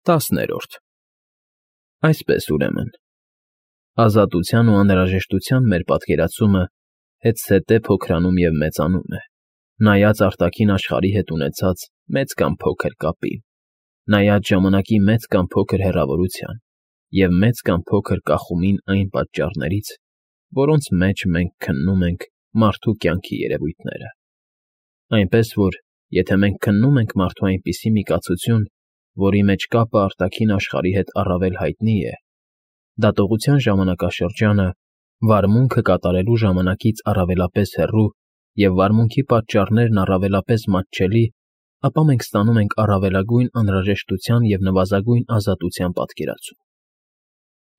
10-րդ Այսպես ուրեմն, ազատության ու անհրաժեշտության մեր պատկերացումը հետզհետե փոքրանում և մեծանում է, նայած արտաքին աշխարհի հետ ունեցած մեծ կամ փոքր կապին, նայած ժամանակի մեծ կամ փոքր հեռավորության և մեծ կամ փոքր կախումին այն պատճառներից, որոնց մեջ մենք քննում ենք մարդու կյանքի երևույթները, այնպես որ, եթե մենք քննում ենք մարդու այնպիսի մի կացություն, որի մեջ կապը արտաքին աշխարհի հետ առավել հայտնի է, դատողության ժամանակաշրջանը վարմունքը կատարելու ժամանակից առավելապես հեռու և վարմունքի պատճառներն առավելապես մատչելի, ապա մենք ստանում ենք առավելագույն անհրաժեշտության և նվազագույն ազատության պատկերացում։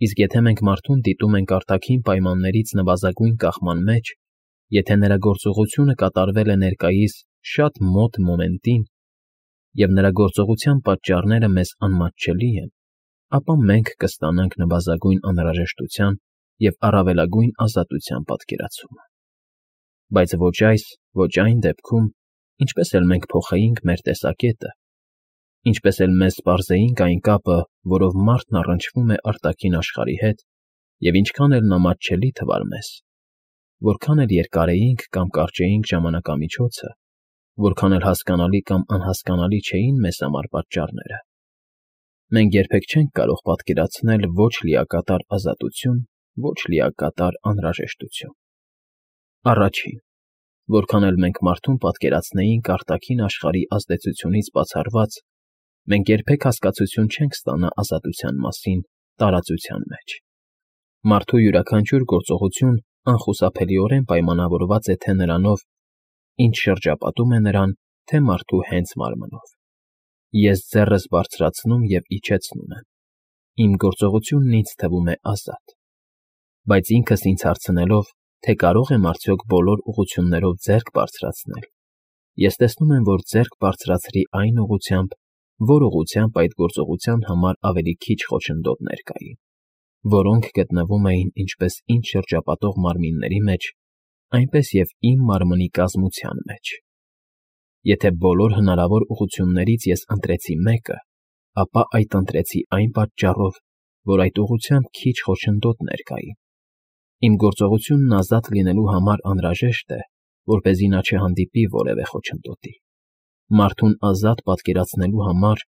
Իսկ եթե մենք մարդուն դիտում ենք արտաքին պայմաններից նվազագույն կախման մեջ, եթե նրա գործողությունը կատարվել է ներկայիս շատ մոտ մոմենտին, և նրա գործողության պատճառները մեզ անմատչելի են, ապա մենք կստանանք նվազագույն անհրաժեշտության և առավելագույն ազատության պատկերացումը։ Բայց ոչ այս, ոչ այն դեպքում, ինչպես էլ մենք փոխեինք մեր տեսակետը, ինչպես էլ մեզ պարզեինք այն կապը, որով մարդն առնչվում է արտաքին աշխարհի հետ, և ինչքան էլ նա մատչելի թվար մեզ, որքան էլ երկարեինք կամ կարճեինք ժամանակամիջոցը, որքան էլ հասկանալի կամ անհասկանալի չէին մեզ համար պատճառները, մենք երբեք չենք կարող պատկերացնել ոչ լիակատար ազատություն, ոչ լիակատար անհրաժեշտություն։ Առաջին, որքան էլ մենք մարդուն պատկերացնեինք արտաքին աշխարհի ազդեցությունից բացառված, մենք երբեք հասկացություն չենք ստանա ազատության մասին տարածության մեջ։ Մարդու յուրաքանչյուր գործողություն անխուսափելիորեն պայմանավորված է թե նրանով, ինչ շրջապատում է նրան, թե մարդու հենց մարմնով։ Ես ձեռս բարձրացնում և իջեցնում եմ։ Իմ գործողությունն ինձ թվում է ազատ։ Բայց ինքս ինձ հարցնելով, թե կարող եմ արդյոք բոլոր ուղղություններով ձեռք բարձրացնել, ես տեսնում եմ, որ ձեռք բարձրացրի այն ուղղությամբ, որ ուղղությամբ այդ գործողության համար ավելի քիչ խոչընդոտներ կային, որոնք գտնվում էին ինչպես ինձ շրջապատող մարմինների մեջ, այնպես և իմ մարմնի կազմության մեջ։ Եթե բոլոր հնարավոր ուղղություններից ես ընտրեցի մեկը, ապա այդ ընտրեցի այն պատճառով, որ այդ ուղղությամբ քիչ խոչընդոտներ կային։ Իմ գործողությունն ազատ լինելու համար անհրաժեշտ է, որպեսզի նա չհանդիպի որևէ խոչընդոտի։ Մարդուն ազատ պատկերացնելու համար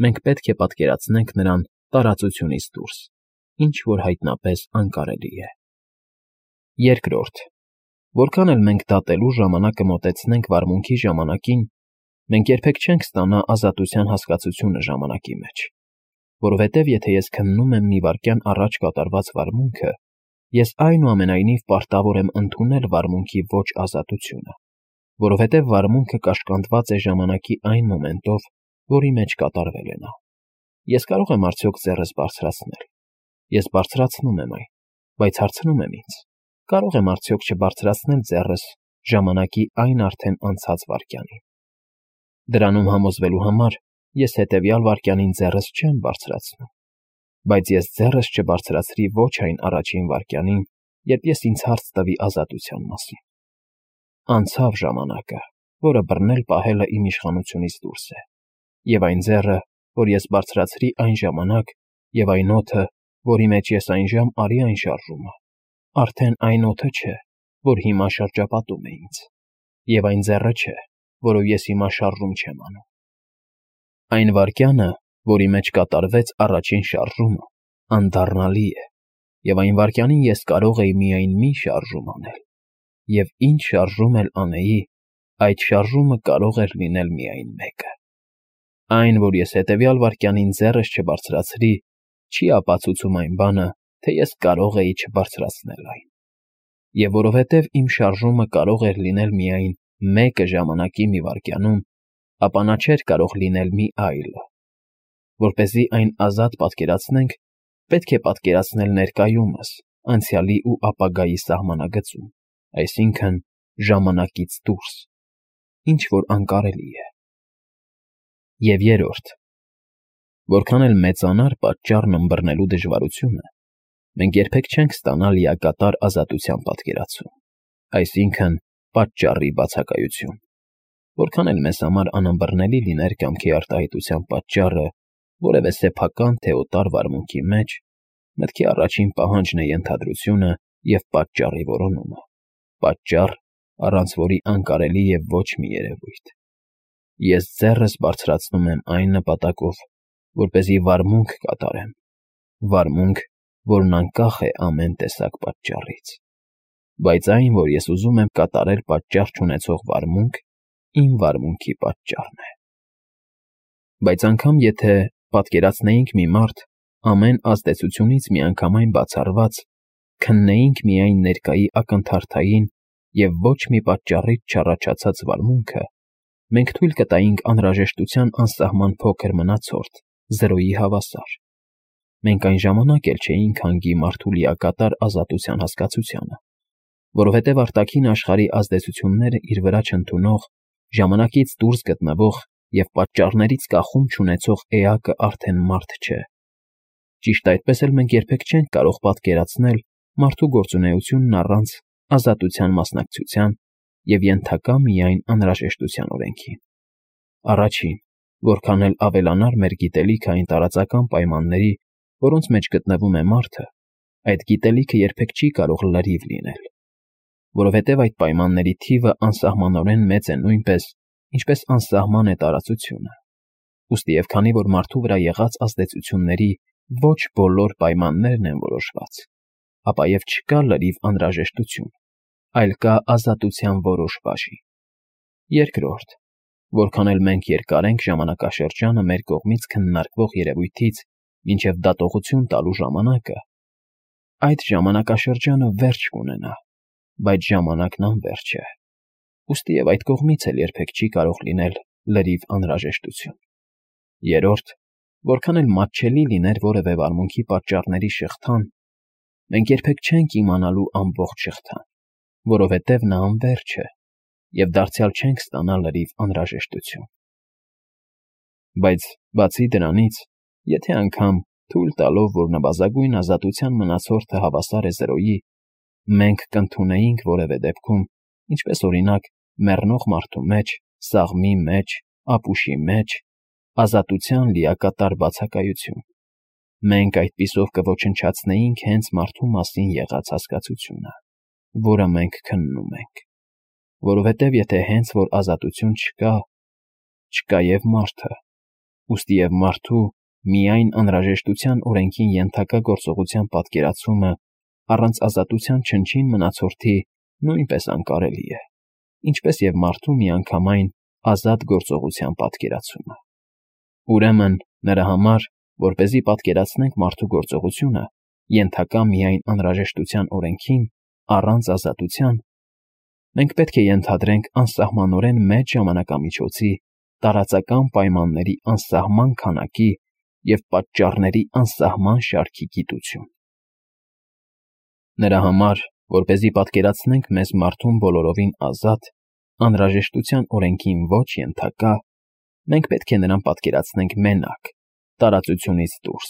մենք պետք է պատկերացնենք նրան տարածությունից դուրս, ինչ որ հայտնապես անկարելի է։ Երկրորդ, որքան էլ մենք դատելու ժամանակը մոտեցնենք վարմունքի ժամանակին, մենք երբեք չենք ստանա ազատության հասկացությունը ժամանակի մեջ, որովհետև եթե ես քննում եմ մի վայրկյան առաջ կատարված վարմունքը, ես այնուամենայնիվ պարտավոր եմ ընդունել վարմունքի ոչ ազատությունը, որովհետև վարմունքը կաշկանդված է ժամանակի այն մոմենտով, որի մեջ կատարվել է նա։ Ես կարող եմ արդյոք ձեռս բարձրացնել։ Ես բարձրացնում եմ այն, բայց հարցնում եմ ինձ. կարող եմ արդյոք չբարձրացնել ձեռս ժամանակի այն արդեն անցած վայրկյանին։ Դրանում համոզվելու համար ես հետևյալ վայրկյանին ձեռս չեմ բարձրացնում, բայց ես ձեռս չբարձրացրի ոչ այն առաջին վայրկյանին, երբ ես ինձ հարց տվի ազատության մասին։ Անցավ ժամանակը, որը բռնել պահելը իմ իշխանությունից դուրս է, և այն ձեռը, որ ես բարձրացրի այն ժամանակ, և այն օդը, որի մեջ ես այնժամ արի այն շարժումը, արդեն այն օդը չէ, որ հիմա շրջապատում է ինձ, և այն ձեռը չէ, որով ես հիմա շարժում չեմ անում։ Այն վայրկյանը, որի մեջ կատարվեց առաջին շարժումը, անդառնալի է, և այն վայրկյանին ես կարող էի միայն մի շարժում անել, և ինչ շարժում էլ անեի, այդ շարժումը կարող էր լինել միայն մեկը։ Այն, որ ես հետևյալ վայրկյանին ձեռս չբարձրացրի, չի ապացուցում այն բանը, թե ես կարող էի չբարձրացնել այն։ Եվ որովհետև իմ շարժումը կարող էր լինել միայն մեկը ժամանակի մի վայրկյանում, ապա նա չէր կարող լինել մի այլը։ Որպեսզի այն ազատ պատկերացնենք, պետք է պատկերացնել ներկայումս, անցյալի ու ապագայի սահմանագծում, այսինքն ժամանակից դուրս, ինչ որ անկարելի է։ Եվ երրորդ, որքան էլ մեծանար պատճառն ըմբռնելու դժվարությունը, մենք երբեք չենք ստանա լիակատար ազատության պատկերացում, այսինքն պատճառի բացակայություն։ Որքան էլ մեզ համար անըմբռնելի լիներ կամքի արտահայտության պատճառը, որևէ սեփական թե օտար վարմունքի մեջ, մտքի առաջին պահանջն է ենթադրությունը և պատճառի որոնումը, պատճառ, առանց որի անկարելի է ոչ մի երևույթ։ Ես ձեռս բարձրացնում եմ այն նպատակով, որպեսզի վարմունք կատարեմ, վարմունք, որն անկախ է ամեն տեսակ պատճառից։ Բայց այն, որ ես ուզում եմ կատարել պատճառ չունեցող վարմունք, իմ վարմունքի պատճառն է։ Բայց անգամ եթե պատկերացնեինք մի մարդ, ամեն ազդեցությունից միանգամայն բացառված, քննեինք միայն ներկայի ակնթարթային և ոչ մի պատճառից չառաջացած վարմունքը, մենք թույլ կտայինք անհրաժեշտության անսահման փոքր մնացորդ, զրոյի հավասար։ Մենք այն ժամանակ էլ չէինք հանգի մարդու լիակատար ազատության հասկացությանը, որովհետև արտաքին աշխարհի ազդեցությունները իր վրա չընդունող, ժամանակից դուրս գտնվող և պատճառներից կախում չունեցող էակը արդեն մարդ չէ։ Ճիշտ այդպես էլ մենք երբեք չենք կարող պատկերացնել մարդու գործունեությունն առանց ազատության մասնակցության և ենթակա միայն անհրաժեշտության օրենքին։ Առաջին, որքան էլ ավելանար մեր գիտելիքը այն տարածական պայմանների, որոնց մեջ գտնվում է մարդը, այդ գիտելիքը երբեք չի կարող լրիվ լինել, որովհետև այդ պայմանների թիվը անսահմանորեն մեծ է նույնպես, ինչպես անսահման է տարածությունը։ Ուստի և քանի որ մարդու վրա եղած ազդեցությունների ոչ բոլոր պայմաններն են որոշված, ապա և չկա լրիվ անհրաժեշտություն, այլ կա ազատության որոշ բաժին։ Երկրորդ, որքան էլ մենք երկարենք ժամանակաշրջանը մեր կողմից քննարկվող երևույթից մինչև դատողություն տալու ժամանակը, այդ ժամանակաշրջանը վերջ կունենա, բայց ժամանակն անվերջ է։ Ուստի և այդ կողմից էլ երբեք չի կարող լինել լրիվ անհրաժեշտություն։ Երրորդ, որքան էլ մատչելի լիներ որևէ վարմունքի պատճառների շղթան, մենք երբեք չենք իմանալու ամբողջ շղթան, որովհետև նա անվերջ է, և դարձյալ չենք ստանա լրիվ անհրաժեշտություն։ Բայց բացի դրանից, եթե անգամ թույլ տալով, որ նվազագույն ազատության մնացորդը հավասար է զրոյի, մենք կընդունեինք որևէ դեպքում, ինչպես օրինակ մեռնող մարդու մեջ, սաղմի մեջ, ապուշի մեջ, ազատության լիակատար բացակայություն, մենք այդպիսով կոչնչացնեինք հենց մարդու մասին եղած հասկացությունը, որը մենք քննում ենք, որովհետև եթե հենց որ ազատություն չկա, չկա և մարդը, ուստի և մարդու միայն անհրաժեշտության օրենքին ենթակա գործողության պատկերացումը առանց ազատության չնչին մնացորդի նույնպես անկարելի է, ինչպես և մարդու միանգամայն ազատ գործողության պատկերացումը։ Ուրեմն, նրա համար, որպեսզի պատկերացնենք մարդու գործողությունը, ենթակա միայն անհրաժեշտության օրենքին, առանց ազատության, մենք պետք է ենթադրենք անսահմանորեն մեծ ժամանակամիջոցի, տարածական պայմանների անսահման քանակի և պատճառների անսահման շարքի գիտություն։ Նրա համար, որպեսզի պատկերացնենք մեզ մարդուն բոլորովին ազատ, անհրաժեշտության օրենքին ոչ ենթակա, մենք պետք է նրան պատկերացնենք մենակ, տարածությունից դուրս,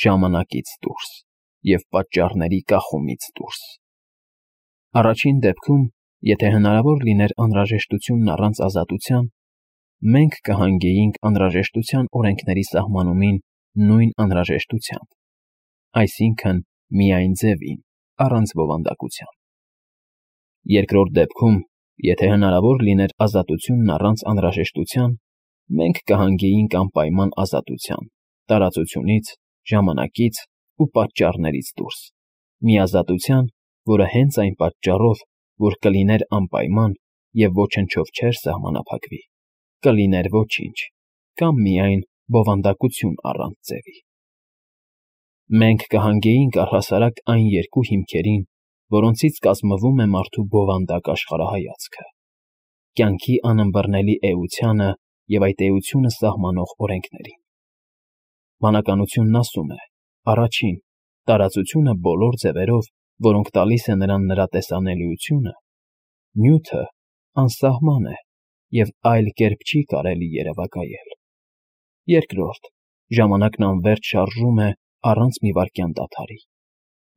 ժամանակից դուրս և պատճառների կախումից դուրս։ Առաջին դեպքում, եթե հնարավոր լիներ անհրաժեշտությունն առանց ազատության, մենք կհանգեինք անհրաժեշտության օրենքների սահմանումին նույն անհրաժեշտությամբ, այսինքն միայն ձևին, առանց բովանդակության։ Երկրորդ դեպքում, եթե հնարավոր լիներ ազատությունն առանց անհրաժեշտության, մենք կհանգեինք անպայման ազատության, տարածությունից, ժամանակից ու պատճառներից դուրս, մի ազատության, որը հենց այն պատճառով, որ կլիներ անպայման և ոչնչով չէր սահմանափակվի, կլիներ ոչինչ, կամ միայն բովանդակություն առանց ձևի։ Մենք կհանգեինք առհասարակ այն երկու հիմքերին, որոնցից կազմվում է մարդու բովանդակ աշխարհայացքը՝ կյանքի անըմբռնելի էությանը և այդ էությունը սահմանող օրենքներին։ Բանականությունն ասում է. առաջին, տարածությունը բոլոր ձևերով, որոնք տալիս է նրան նրա տեսանելիությունը, նյութը անսահման է և այլ կերպ չի կարելի երևակայել։ Երկրորդ, ժամանակն անվերջ շարժում է առանց մի վայրկյան դադարի,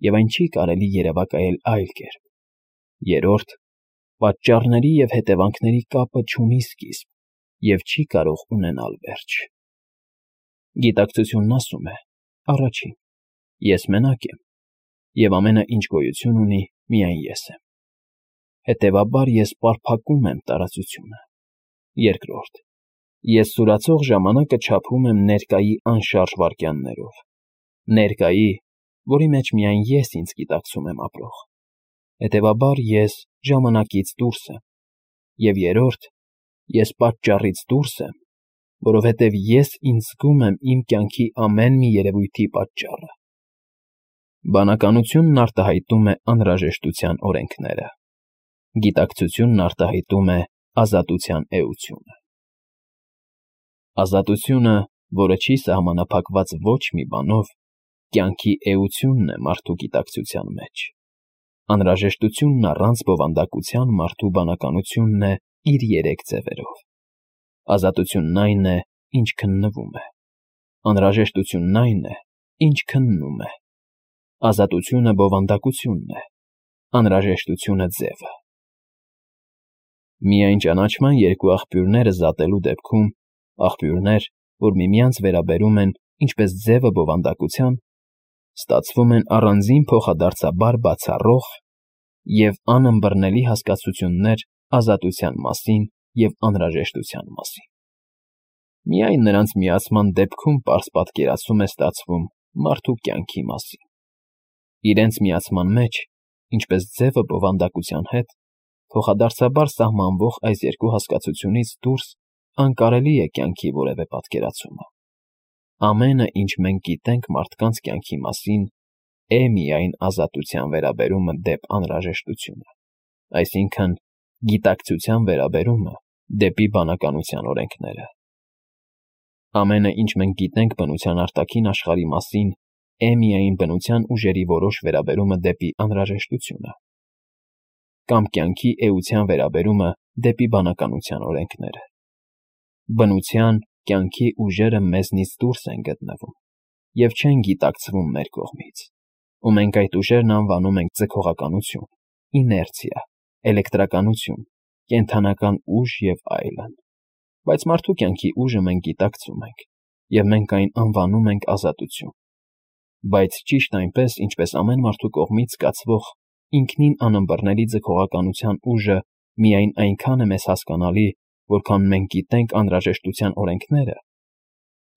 և այն չի կարելի երևակայել այլ կերպ։ Երրորդ, պատճառների և հետևանքների կապը չունի սկիզբ և չի կարող ունենալ վերջ։ Գիտակցությունն ասում է. առաջին, ես մենակ եմ, և ամենը, ինչ գոյություն ունի, միայն ես եմ։ Հետևաբար ես պարփակում եմ տարածությունը։ Երկրորդ, ես սուրացող ժամանակը չափում եմ ներկայի անշարժ վայրկյաններով։ Ներկայի, որի մեջ միայն ես ինձ գիտակցում եմ ապրող։ Հետևաբար ես ժամանակից դուրս եմ։ Եվ երրորդ, ես պատճառից դուրս եմ, որովհետև ես ինձ զգում եմ իմ կյանքի ամեն մի երևույթի պատճառը։ Բանականությունն արտահայտում է անհրաժեշտության օրենքները։ Գիտակցությունն արտահայտում է ազատության էությունը։ Ազատությունը, որը չի սահմանափակված ոչ մի բանով, կյանքի էությունն է մարդու գիտակցության մեջ։ Անհրաժեշտությունն առանց բովանդակության մարդու բանականությունն է իր երեք ձևերով։ Ազատությունն այն է, ինչ քննվում է։ Անհրաժեշտությունն այն է, ինչ քննում է։ Ազատությունը բովանդակությունն է, անհրաժեշտությունը ձևը։ Միայն ճանաչման երկու աղբյուրները զատելու դեպքում, աղբյուրներ, որ միմյանց վերաբերում են ինչպես ձևը բովանդակության, ստացվում են առանձին փոխադարձաբար բացառող և անըմբռնելի հասկացություններ ազատության մասին և անհրաժեշտության մասին։ Միայն նրանց միացման դեպքում պարզ պատկերացում է ստացվում մարդու կյանքի մասին։ Իրենց միացման մեջ, ինչպես ձևը բովանդակության հետ, փոխադարձաբար սահմանվող այս երկու հասկացությունից դուրս անկարելի է կյանքի որևէ պատկերացումը։ Ամենը, ինչ մենք գիտենք մարդկանց կյանքի մասին, է միայն ազատության վերաբերումը դեպ անհրաժեշտությունը, այսինքն գիտակցության վերաբերումը դեպի բանականության օրենքները։ Ամենը, ինչ մենք գիտենք բնության արտաքին աշխարհի մասին, է միայն բնության ուժերի որոշ վերաբերումը դեպի անհրաժեշտությունը, կամ կյանքի էության վերաբերումը դեպի բանականության օրենքները։ Բնության, կյանքի ուժերը մեզնից դուրս են գտնվում և չեն գիտակցվում մեր կողմից, ու մենք այդ ուժերն անվանում ենք ձգողականություն, իներցիա, էլեկտրականություն, կենդանական ուժ և այլն։ Բայց մարդու կյանքի ուժը մենք գիտակցում ենք, և մենք այն անվանում ենք ազատություն։ Բայց ճիշտ այնպես, ինչպես ամեն մարդու կողմից զգացվող ինքնին անըմբռնելի ձգողականության ուժը միայն այնքան է մեզ հասկանալի, որքան մենք գիտենք անհրաժեշտության օրենքները,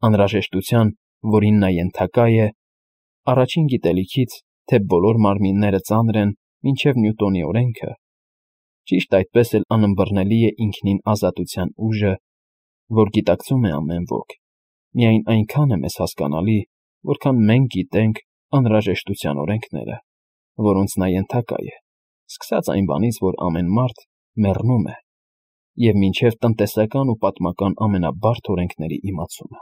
անհրաժեշտության, որին նա ենթակա է, առաջին գիտելիքից, թե բոլոր մարմինները ծանր են մինչև Նյուտոնի օրենքը, ճիշտ այդպես էլ անըմբռնելի է ինքնին ազատության ուժը, որ գիտակցում է ամեն ոք, միայն այնքան է մեզ հասկանալի, որքան մենք գիտենք անհրաժեշտության օրենքները, որոնց նա ենթակա է, սկսած այն բանից, որ ամեն մարդ մեռնում է, և մինչև տնտեսական ու պատմական ամենաբարդ օրենքների իմացումը։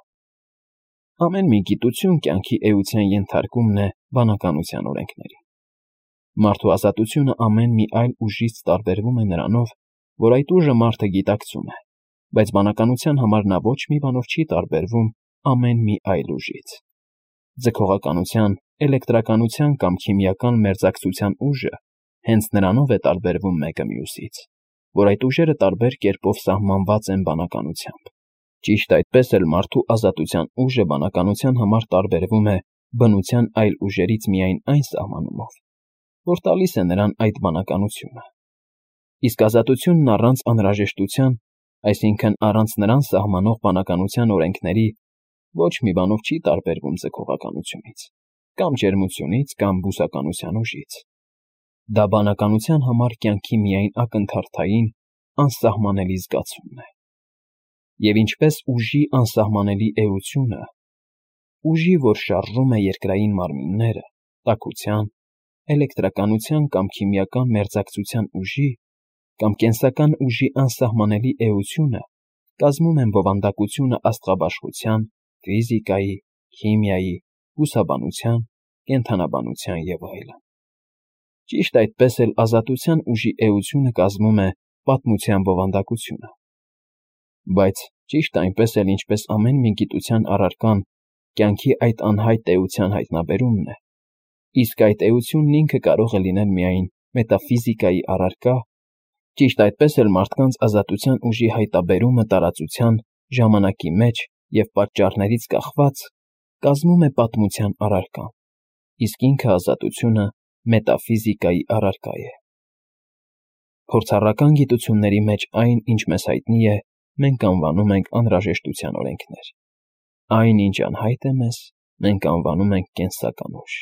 Ամեն մի գիտություն կյանքի էության ենթարկումն է բանականության օրենքների։ Մարդու ազատությունը ամեն մի այլ ուժից տարբերվում է նրանով, որ այդ ուժը մարդը գիտակցում է, բայց բանականության համար նա ոչ մի բանով չի տարբերվում ամեն մի այլ ուժից։ Ձգողականության, էլեկտրականության կամ քիմիական մերձակցության ուժը հենց նրանով է տարբերվում մեկը մյուսից, որ այդ ուժերը տարբեր կերպով սահմանված են բանականությամբ։ Ճիշտ այդպես էլ մարդու ազատության ուժը բանականության համար տարբերվում է բնության այլ ուժերից միայն այն սահմանումով, որ տալիս է նրան այդ բանականությունը։ Իսկ ազատությունն առանց անհրաժեշտության, այսինքն առանց նրան սահմանող բանականության օրենքների, ոչ մի բանով չի տարբերվում ձգողականությունից, կամ ջերմությունից, կամ բուսականության ուժից։ Դա բանականության համար կյանքի միայն ակնթարթային, անսահմանելի զգացումն է։ Եվ ինչպես ուժի անսահմանելի էությունը, ուժի, որ շարժում է երկրային մարմինները, տաքության, էլեկտրականության կամ քիմիական մերձակցության ուժի կամ կենսական ուժի անսահմանելի էությունը կազմում են բովանդակությունը աստղաբաշխության, ֆիզիկայի, քիմիայի, բուսաբանության, կենդանաբանության և այլն։ Ճիշտ այդպես էլ ազատության ուժի էությունը կազմում է պատմության բովանդակությունը։ Բայց ճիշտ այնպես էլ, ինչպես ամեն մի գիտության առարկան կյանքի այդ անհայտ էության հայտնաբերումն է, իսկ այդ էությունն ինքը կարող է լինել միայն մետաֆիզիկայի առարկա, ճիշտ այդպես էլ մարդկանց ազատության ուժի հայտնաբերումը տարածության, ժամանակի մեջ և պատճառներից կախված կազմում է պատմության առարկան, իսկ ինքը ազատությունը մետաֆիզիկայի առարկա է։ Փորձառական գիտությունների մեջ այն, ինչ մեզ հայտնի է, մենք անվանում ենք անհրաժեշտության օրենքներ։ Այն, ինչ անհայտ է մեզ, մենք անվանում ենք կենսական ուժ։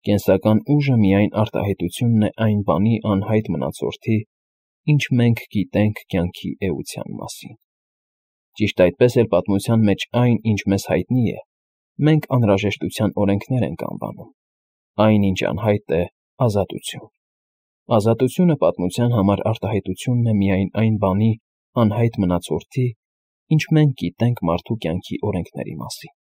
Կենսական ուժը միայն արտահայտությունն է այն բանի անհայտ մնացորդի, ինչ մենք գիտենք կյանքի էության մասին։ Ճիշտ այդպես էլ պատմության մեջ այն, ինչ մեզ հայտնի է, մենք անհրաժեշտության օրենքներ ենք անվանում։ Այն, ինչ անհայտ է, ազատություն։ Ազատությունը պատմության համար արտահայտությունն է միայն այն բանի անհայտ մնացորդի, ինչ մենք գիտենք մարդու կյանքի օրենքների մասին։